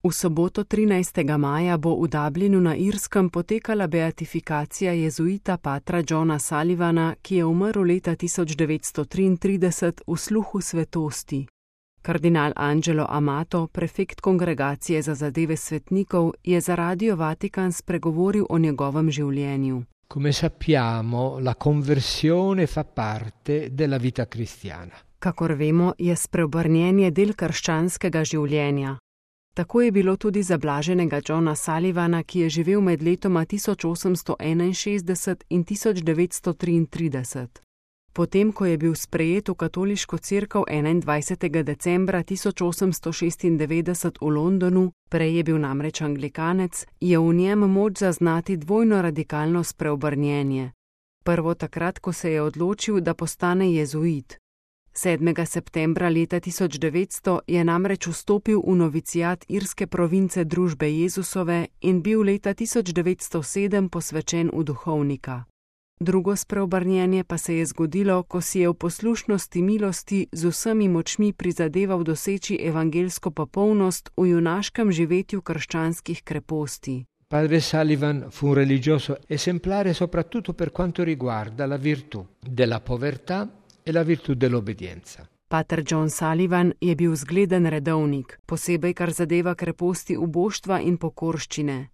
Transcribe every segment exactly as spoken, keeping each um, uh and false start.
V soboto trinajstega maja bo v Dublinu na Irskem potekala beatifikacija jezuita patra Johna Sullivana, ki je umrl leta tisoč devetsto triintrideset v sluhu svetosti. Kardinal Angelo Amato, prefekt Kongregacije za zadeve svetnikov, je za Radio Vatikan spregovoril o njegovem življenju. Come sappiamo, la conversione fa parte della vita cristiana. Kakor vemo, je spreobrnjenje del krščanskega življenja. Tako je bilo tudi za blaženega Johna Sullivana, ki je živel med letoma tisoč osemsto enainšestdeset in tisoč devetsto triintrideset. Potem, ko je bil sprejet v katoliško cerkev enaindvajsetega decembra tisoč osemsto šestindevetdeset v Londonu, prej je bil namreč anglikanec, je v njem moč zaznati dvojno radikalno spreobrnjenje. Prvo takrat, ko se je odločil, da postane jezuit. sedmega septembra leta tisoč devetsto je namreč vstopil v novicijat irske province Družbe Jezusove in bil leta tisoč devetsto sedem posvečen v duhovnika. Drugo spreobrnjenje pa se je zgodilo, ko si je v poslušnosti milosti z vsemi močmi prizadeval doseči evangelsko popolnost v junaškem živetju krščanskih kreposti. Padre Sullivan fu un religioso esemplare soprattutto per quanto riguarda la virtù della povertà e la virtù dell'obbedienza. Pater John Sullivan je bil zgleden redovnik, posebej kar zadeva kreposti uboštva in pokorščine.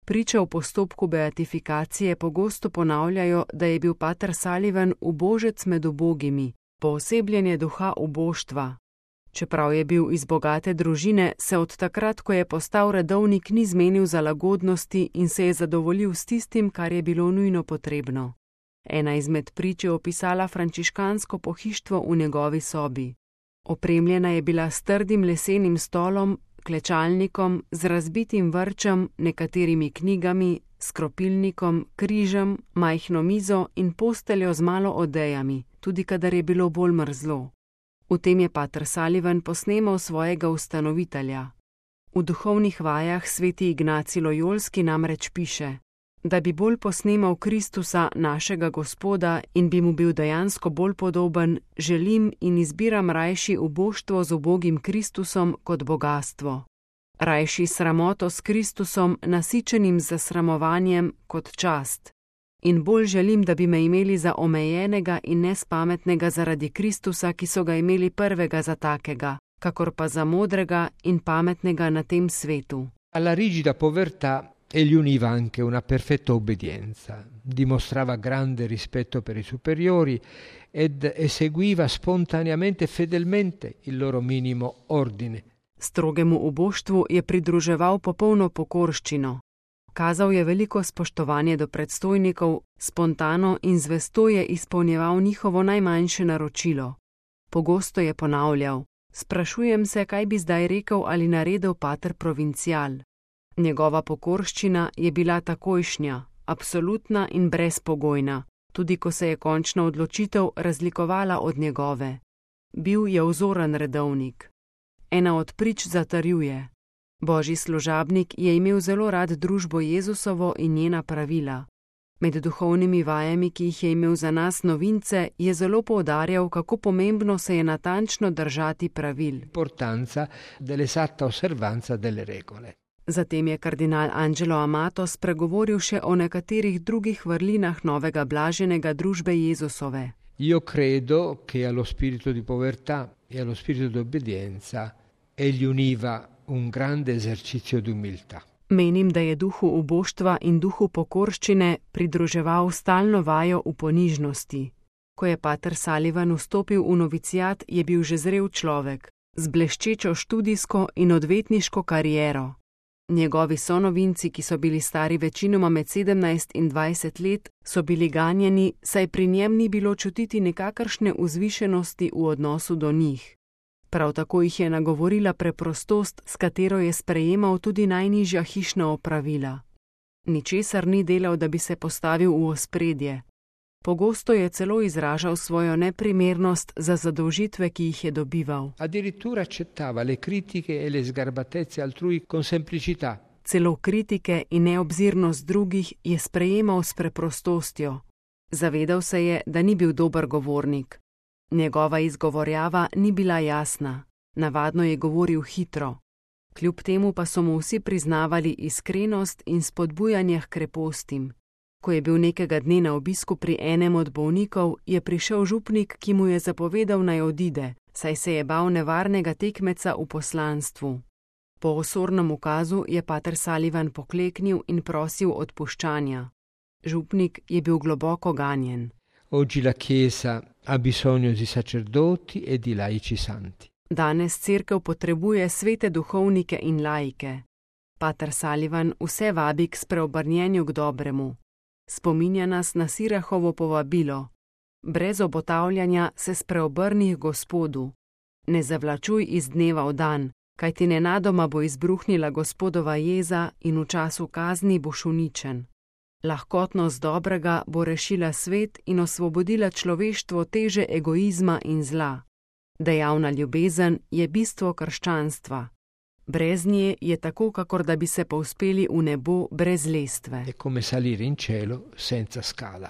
Priče v postopku beatifikacije pogosto ponavljajo, da je bil pater Sullivan ubožec med ubogimi, poosebljenje duha uboštva. Čeprav je bil iz bogate družine, se od takrat, ko je postal redovnik, ni zmenil za lagodnosti in se je zadovoljil s tistim, kar je bilo nujno potrebno. Ena izmed prič je opisala frančiškansko pohištvo v njegovi sobi. Opremljena je bila s trdim lesenim stolom, klečalnikom, z razbitim vrčem, nekaterimi knjigami, skropilnikom, križem, majhno mizo in posteljo z malo odejami, tudi kadar je bilo bolj mrzlo. V tem je pater Sullivan posnemal svojega ustanovitelja. V duhovnih vajah sveti Ignacij Lojolski namreč piše: da bi bolj posnemal Kristusa, našega Gospoda, in bi mu bil dejansko bolj podoben, želim in izbiram rajši uboštvo z ubogim Kristusom kot bogatstvo. Rajši sramoto s Kristusom, nasičenim z zasramovanjem, kot čast. In bolj želim, da bi me imeli za omejenega in nespametnega zaradi Kristusa, ki so ga imeli prvega za takega, kakor pa za modrega in pametnega na tem svetu. Alla rigida povertà egli univa anche una perfetta obbedienza, dimostrava grande rispetto per i superiori ed eseguiva spontaneamente e fedelmente il loro minimo ordine. Strogemu uboštvu je pridruževal popolno pokorščino. Kazal je veliko spoštovanje do predstojnikov, spontano in zvesto je izpolnjeval njihovo najmanjše naročilo. Pogosto je ponavljal: sprašujem se, kaj bi zdaj rekel ali naredil pater provincial. Njegova pokorščina je bila takojšnja, absolutna in brezpogojna, tudi ko se je končna odločitev razlikovala od njegove. Bil je vzoren redovnik. Ena od prič zatrjuje: Božji služabnik je imel zelo rad družbo Jezusovo in njena pravila. Med duhovnimi vajami, ki jih je imel za nas novince, je zelo poudarjal, kako pomembno se je natančno držati pravil. Importanza dell'esatta osservanza delle regole. Zatem je kardinal Angelo Amato spregovoril še o nekaterih drugih vrlinah novega blaženega družbe Jezusove. Io credo che allo spirito di povertà e allo spirito di obbedienza egli univa un grande esercizio di umiltà. Menim, da je duhu uboštva in duhu pokorščine pridruževal stalno vajo v ponižnosti. Ko je pater Sullivan vstopil v novicijat, je bil že zrel človek, z bleščečo študijsko in odvetniško kariero. Njegovi sonovinci, ki so bili stari večinoma med sedemnajst in dvajset let, so bili ganjeni, saj pri njem ni bilo čutiti nekakršne vzvišenosti v odnosu do njih. Prav tako jih je nagovorila preprostost, s katero je sprejemal tudi najnižja hišna opravila. Ničesar ni delal, da bi se postavil v ospredje. Pogosto je celo izražal svojo neprimernost za zadolžitve, ki jih je dobival. Addirittura accettava le critiche e le sgarbatezze altrui con semplicità. Celo kritike in neobzirnost drugih je sprejemal s preprostostjo. Zavedal se je, da ni bil dober govornik. Njegova izgovorjava ni bila jasna, navadno je govoril hitro. Kljub temu pa so mu vsi priznavali iskrenost in spodbujanje h krepostim. Ko je bil nekega dne na obisku pri enem od bolnikov, je prišel župnik, ki mu je zapovedal, naj odide, saj se je bal nevarnega tekmeca v poslanstvu. Po osornem ukazu je pater Sullivan pokleknil in prosil odpuščanja. Župnik je bil globoko ganjen. Oggi la Chiesa ha bisogno di sacerdoti e di laici santi. Danes cerkev potrebuje svete duhovnike in laike. Pater Sullivan vse vabi k spreobrnjenju k dobremu. Spominja nas na Sirahovo povabilo. Brez obotavljanja se spreobrni k Gospodu. Ne zavlačuj iz dneva v dan, kajti nenadoma bo izbruhnila Gospodova jeza in v času kazni boš uničen. Lahkotnost dobrega bo rešila svet in osvobodila človeštvo teže egoizma in zla. Dejavna ljubezen je bistvo krščanstva. Brez nje je tako, kakor da bi se povzpeli v nebo brez lestve. È come salire in cielo senza scala.